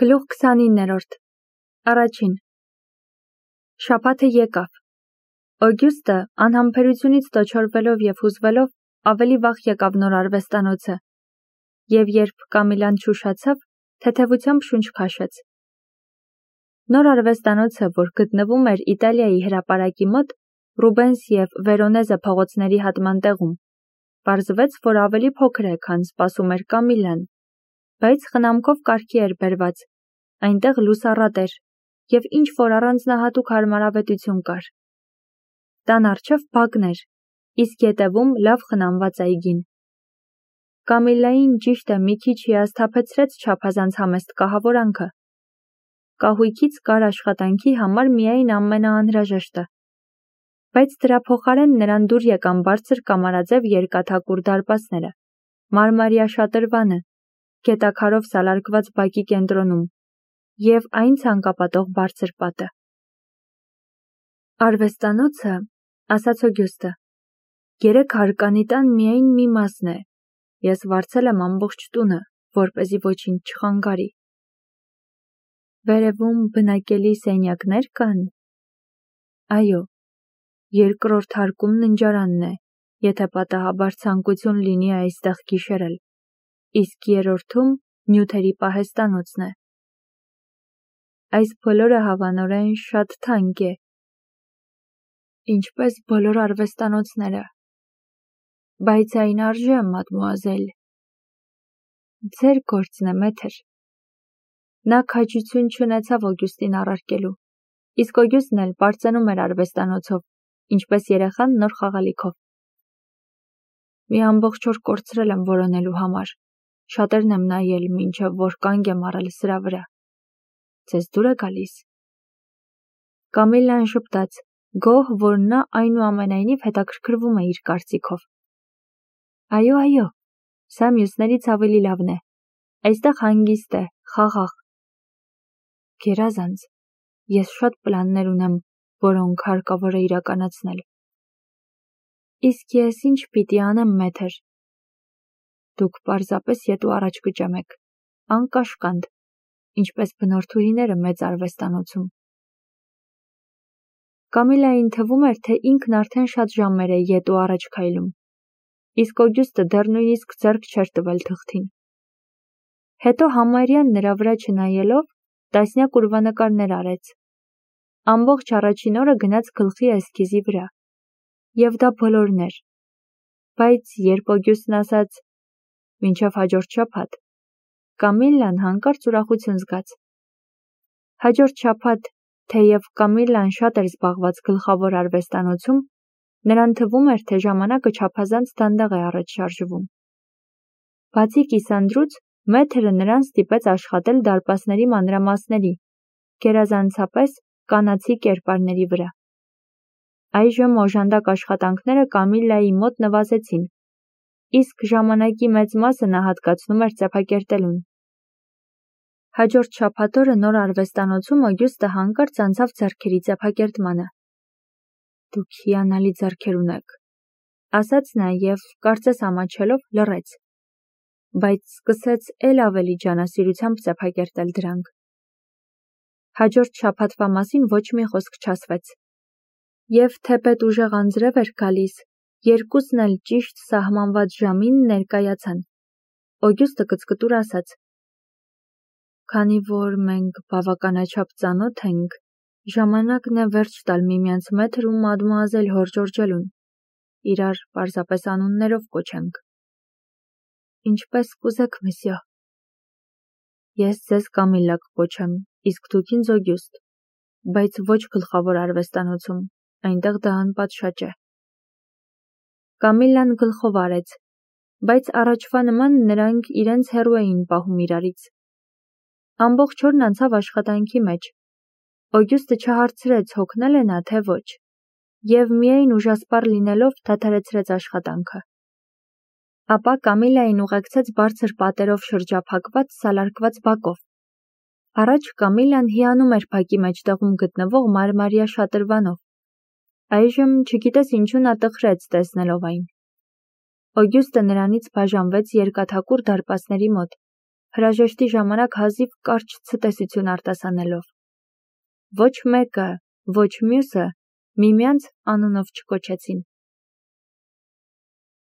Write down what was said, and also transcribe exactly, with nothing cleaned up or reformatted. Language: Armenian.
Գլուխ քսանիններորդ Առաջին Շաբաթը եկավ։ Օգյուստը անհամբերությունից տոչորվելով և հուզվելով ավելի վաղ եկավ նոր արվեստանոցը, և երբ Կամիլան չուշացավ, թեթևությամբ շունչ քաշեց։ Նոր արվեստանոցը, որ գտնվում էր Իտալիայի հրապարակի մոտ, Ռուբենս և Վերոնեզը փողոցների հատման տեղում, պարզվեց, որ ավելի փոքր է, քան սպասում էր Կամիլան, բայց խնամքով կարգի էր բերված, այնտեղ լուսառատ էր, և ինչ-որ առանձնահատուկ հարմարավետություն կար։ Տան առջև բակն էր, իսկ ետևում լավ խնամված այգին։ Կամիլային ճիշտ է մի քիչ հիասթափեցրեց չափազանց համեստ կահավորանքը։ Կահույքից կար աշխատանքի համար միայն ամենաանհրաժեշտը, բայց դրա փոխարեն նրան դուր եկան բարձր կամարաձև երկաթակուր դարպասները, մարմարյա շատրվանը, գետաքարով սալարկված բակի կենտրոնում և այն ցանկապատող բարձր պատը։ Արվեստանոցը, ասաց Օգյուստը, երեք հարկանի տան միայն մի մասն է, ես վարձել եմ ամբողջ տունը, որպեսզի ոչինչ չխանգարի։ Վերևում բնակելի սենյակներ կան։ Այո, երկրորդ հարկում ննջարանն է, եթե պատահաբար ցանկություն լինի այստեղ գիշերել, իսկ երրորդում նյութերի պահեստանոցն է։ Այս բոլորը հավանորեն շատ թանկ է, ինչպես բոլոր արվեստանոցները, բայց այն արժե, մադմուազել։ Ձեր գործն է, մեթր։ Նա քաջություն չունեցավ Օգյուստին առարկելու, իսկ Օգյուստն էլ պարծենում էր արվեստանոցով, ինչպես երեխան նոր խաղալիքով։ Մի ամբողջ օր կորցրել եմ որոնելու համար, շատերն եմ նայել, մինչև որ կանգ եմ առել սրա վրա։ Ձեզ դուր է գալիս։ Կամիլան ժպտաց, գոհ, որ նա այնուամենայնիվ հետաքրքրվում է իր կարծիքով։ Այո, այո, սա մյուսներից ավելի լավն է։ Այստեղ հանգիստ է, խաղաղ։ Գերազանց, ես շատ պլաններ ունեմ, որոնք հարկավոր է իրականացնել։ Իսկ ես ինչ պիտի անեմ, մեթր։ Դուք պարզապես ետ ու առաջ կճամեք, անկաշկանդ, ինչպես բնորդուհիները մեծ արվեստանոցում։ Կամիլային թվում էր, թե ինքն արդեն շատ ժամեր է ետ ու առաջ քայլում, իսկ Օգյուստը դեռ նույնիսկ ձեռք չէր տվել թղթին։ Հետո համարյա նրա վրա չնայելով, տասնյակ ուրվանկարներ արեց։ Ամբողջ առաջին օրը գնաց գլխի էսքիզի վրա։ Եվ դա բոլորն էր։ Բայց երբ Օգյուստն ասաց «Մինչև հաջորդ շաբաթ», Կամիլան հանկարծ ուրախություն զգաց։ Հաջորդ շաբաթ, թեև Կամիլան շատ էր զբաղված գլխավոր արվեստանոցում, նրան թվում էր, թե ժամանակը չափազանց դանդաղ է առաջ շարժվում։ Բացի կիսանդրուց, մեթրը նրան ստիպեց աշխատել դարպասների մանրամասների, գերազանցապես կանացի կերպարների վրա։ Այժմ օժանդակ աշխատանքները Կամիլայի մոտ նվազեցին, իսկ ժամանակի մեծ մասը նա հատկացնում էր ծեփակերտելուն։ Հաջորդ շաբաթ օրը նոր արվեստանոցում Օգյուստը հանկարծ անցավ ձեռքերի ծեփակերտմանը։ Դուք հիանալի ձեռքեր ունեք, ասաց նա և, կարծես ամաչելով, լռեց, բայց սկսեց էլ ավելի ջանասիրությամբ ծեփակերտել դրանք։ Հաջորդ շաբաթվա մասին ոչ մի խոսք չասվեց։ Եվ թեպետ ուժեղ անձրև էր գալիս, երկուսն էլ ճիշտ սահմանված ժամին ներկայացան։ Օգյուստը կծկտուր ասաց. Քանի որ մենք բավականաչափ ծանոթ ենք, ժամանակն է վերջ տալ միմյանց մեթր ու մադմուազել Հոր Ջորջելուն, իրար պարզապես անուններով կոչենք։ Ինչպես կուզեք, մսյո։ Ես ձեզ Կամիլա կկոչեմ, իսկ դուք ինձ Օգյուստ, բայց ոչ գլխավոր արվեստանոցում, այնտեղ դա անպատշաճ է։ Կամիլան գլխով արեց, բայց առաջվա նման նրանք իրենց հեռու էին պահում իրարից։ Ամբողջ օրն անցավ աշխատանքի մեջ։ Օգյուստը չհարցրեց հոգնել է նա, թե ոչ, և միայն ուժասպառ լինելով դադարեցրեց աշխատանքը։ Ապա Կամիլային ուղեկցեց բարձր պատերով շրջափակված սալարկված բակով։ Առաջ Կամիլան հիանում էր բակի մեջտեղում գտնվող մարմարյա շատրվանով։ Այժմ չգիտես ինչու նա տխրեց տեսնելով այն։ Օգյուստը նրանից բաժանվեց երկաթակուր դարպասների մոտ, հրաժեշտի ժամանակ հազիվ կարճ ցտեսություն արտասանելով։ Ոչ մեկը, ոչ մյուսը միմյանց անունով չկոչեցին։